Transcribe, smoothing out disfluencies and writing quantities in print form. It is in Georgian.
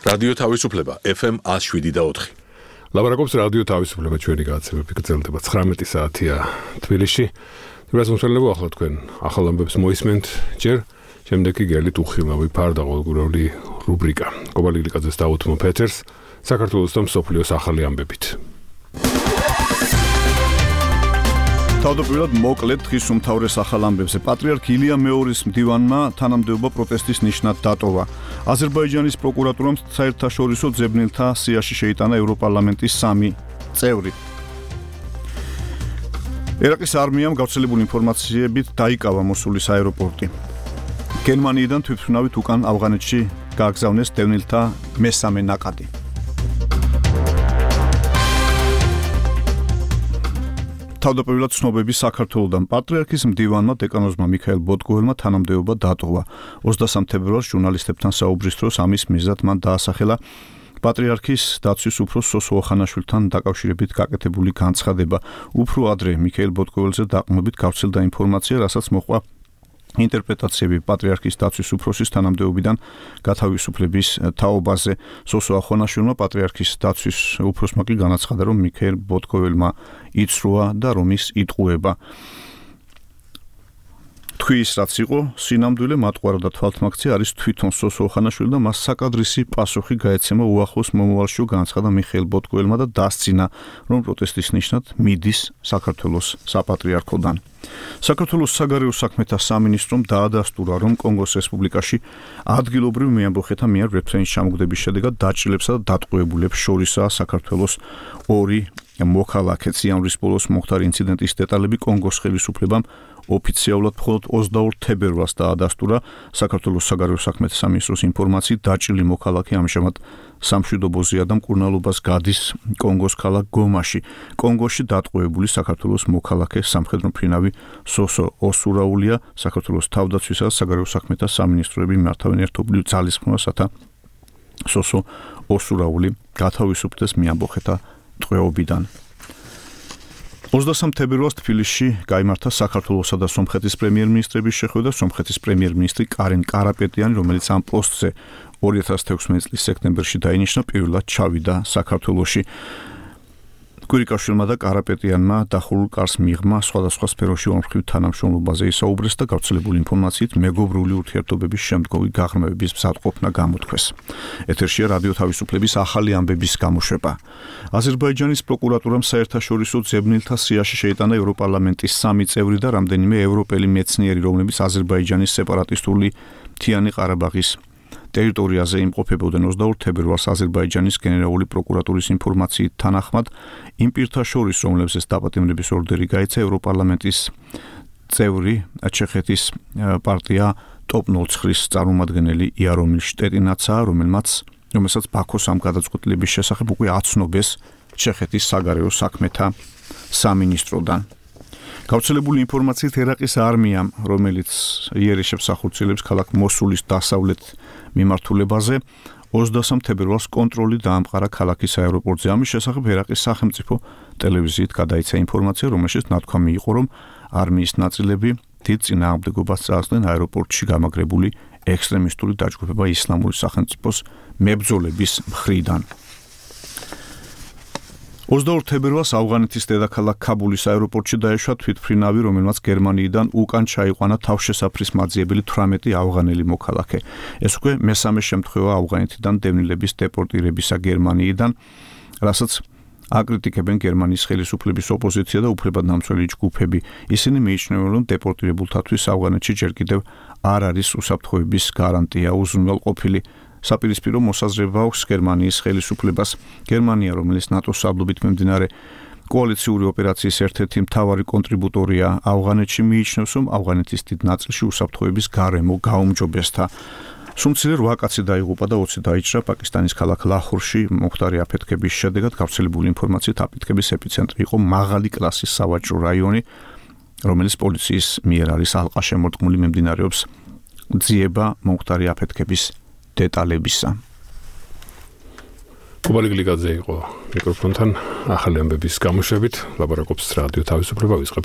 რადიო თავისუფლება FM 107.4. ლაპარაკობს რადიო თავისუფლება ჩვენი გადაცემები გრძელდება 19 საათია თბილისში. თვითმსმენელებო ახლა თქვენ ახალ ამბებს მოისმენთ ჯერ შემდეგ კი გელით უხილავი ფარდა ყოველგვარული რუბრიკა. კობალიგლიკაძეს დაუთმო ფეთერს საქართველოს და მსოფლიოს ახალი ამბებით. თავდაპირველად მოკლედ დღის უმთავრეს ახალ ამბებზე პატრიარქ ილია მეორის მდივანმა თანამდებობა პროტესტის ნიშნად დატოვა. აზერბაიჯანის პროკურატურამ საერთაშორისო ძებნელთა სიაში შეიტანა ევროპარლამენტის 3 წევრი. ერაყის არმიამ გავრცელებული ინფორმაციებით დაიკავა მოსულის აეროპორტი. გერმანიიდან თვითმფრინავით უკან ავღანეთში გააგზავნეს დევნილთა მესამე ნაკადი. თავდაპირველად ცნობები საქართველოდან პატრიარქის მდივანმა დეკანოზმა მიქაელ ბოტკოველმა თანამდებობა დატოვა. 23 თებერვალს ჟურნალისტებთან საუბრის დროს ამის მიზნად მან დაასახელა პატრიარქის დაცვის უფროს სოსო ოხანაშვილთან დაკავშირებით გაკეთებული განცხადება. უფრო ადრე მიქაელ ბოტკოველზე დაყრდნობით გავრცელდა ინფორმაცია, რასაც მოჰყვა ინტერპრეტაციები პატრიარქის დაცვის უფროსის თანამდებობიდან გათავისუფლების თაობაზე. სოსო ოხანაშვილმა პატრიარქის დაცვის უფროსმა კი განაცხადა, რომ მიქაელ ბოტკოველმა იცრუა და რომ ის იტყუება. თქვის რაც იყო სინამდვილე მატყუარა და თვალთმაქცია არის თვითონ სოსო ოხანაშვილი და მას საკადრისი პასუხი გაეცემა უახლოს მომავალში, განაცხადა მიხეილ ბოტკოველმა და დასცინა, რომ პროტესტის ნიშნად მიდის საქართველოს საპატრიარქოდან. საქართველოს საგარეო საქმეთა სამინისტრომ დაადასტურა, რომ კონგოს რესპუბლიკაში ადგილობრივ მეამბოხეთა მიერ რეფრენის ჩამოგდების შედეგად დაჭრილებსა და დატყვევებულებს შორისაა საქართველოს 2 მოქალაქე. იანვრის ბოლოს მოხდა ინციდენტის დეტალები კონგოს ხელისუფლებამ ოფიციალურად მხოლოდ 22 თებერვალს დაადასტურა. საქართველოს საგარეო საქმეთა სამინისტროს ინფორმაციით დაჭრილი მოქალაქე ამჟამად სამშვიდობოზეა და მკურნალობას გადის კონგოს ქალაქ გომაში. კონგოში დატყვევებული საქართველოს მოქალაქე სამხედრო მფრინავი სოსო ოსურაულია. საქართველოს თავდაცვისა და საგარეო საქმეთა სამინისტროები მართავენ ერთობლივ ძალისხმევას, რათა სოსო ოსურაული გათავისუფლდეს მეამბოხეთა ტყვეობიდან. 23 თებერვალს თბილისში გაიმართა საქართველოსა და სომხეთის პრემიერ-მინისტრების შეხვედრა. სომხეთის პრემიერ-მინისტრი კარენ კარაპეტიანი, რომელიც ამ პოსტზე 2016 წლის სექტემბერში დაინიშნა, პირველად ჩავიდა საქართველოში. კვირიკაშვილმა და კარაპეტიანმა დახურულ კარს მიღმა სხვადასხვა სფეროში ორმხრივ თანამშრომლობაზე ისაუბრეს და გავრცელებული ინფორმაციით მეგობრული ურთიერთობების შემდგომი გაღრმავების მზადყოფნა გამოთქვეს. ეთერშია რადიო თავისუფლების ახალი ამბების გამოშვება. აზერბაიჯანის პროკურატურამ საერთაშორისო ძებნელთა სიაში შეიტანა ევროპარლამენტის 3 წევრი და რამდენიმე ევროპელი მეცნიერი, რომლებიც აზერბაიჯანის სეპარატისტული მთიანი ყარაბაღის ტერიტორიაზე იმყოფებოდნენ. 22 თებერვალს აზერბაიჯანის გენერალური პროკურატურის ინფორმაციით თანახმად იმ პირთა შორის, რომლებზეც დაპატიმრების ორდერი გაიცა, ევროპარლამენტის წევრი ჩეხეთის პარტია ტოპ-09-ის წარმომადგენელი იარომილ შტეტინაცაა, რომელსაც ბაქოს ამ გადაწყვეტილების შესახებ უკვე აცნობეს ჩეხეთის საგარეო საქმეთა სამინისტროდან. გავრცელებული ინფორმაციით ერაყის არმიამ, რომელიც იერიშებს ახორციელებს ქალაქ მოსულის დასავლეთ მიმართულებაზე, 23 თებერვალს კონტროლი დაამყარა ქალაქის აეროპორტზე. ამის შესახებ ერაყის სახელმწიფო ტელევიზიით გადაიცა ინფორმაცია, რომელშიც ნათქვამი იყო, რომ არმიის ნაწილები დიდ წინააღმდეგობას წააგდნენ აეროპორტში გამაგრებული ექსტრემისტული დაჯგუფება ისლამური სახელმწიფოს მებრძოლების მხრიდან. 22 თებერვალს ავღანეთის დედაქალაქ ქაბულის აეროპორტში დაეშვა თვითმფრინავი, რომელმაც გერმანიიდან უკან ჩაიყვანა თავშესაფრის მაძიებელი 18 ავღანელი მოქალაქე. ეს უკვე მესამე შემთხვევა ავღანეთიდან დევნილების დეპორტირებისა გერმანიიდან, რასაც აკრიტიკებენ გერმანიის ხელისუფლების ოპოზიცია და უფლებადნამცველი ჯგუფები. ისინი მიიჩნევენ, რომ დეპორტირებულთათვის ავღანეთში ჯერ კიდევ არ არის უსაფრთხოების გარანტია. უზრუნველყოფილი საპირისპირო მოსაზრება აქვს გერმანიის ხელისუფლებას. გერმანია, რომელიც ნატოს სარდლობით მიმდინარე კოალიციური ოპერაციის ერთ-ერთი მთავარი კონტრიბუტორია ავღანეთში, მიიჩნევს, რომ ავღანეთის დიდ ნაწილში უსაფრთხოების გარემო გაუმჯობესდა. სულ მცირე 8 კაცი დაიღუპა და 20 დაიჭრა პაკისტანის ქალაქ ლაჰორში მომხდარი აფეთქების შედეგად. გავრცელებული ინფორმაციით აფეთქების ეპიცენტრი იყო მაღალი კლასის სავაჭრო რაიონი, რომელიც პოლიციის მიერ არის ალყაშემორტყმული. მიმდინარეობს ძიება მომხდარი აფეთქების დეტალებისა. კობალიგლიკაძე იყო მიკროფონთან ახალი ამბების გამოშვებით. ლაპარაკობს რადიო თავისუფლება, ვისყებთ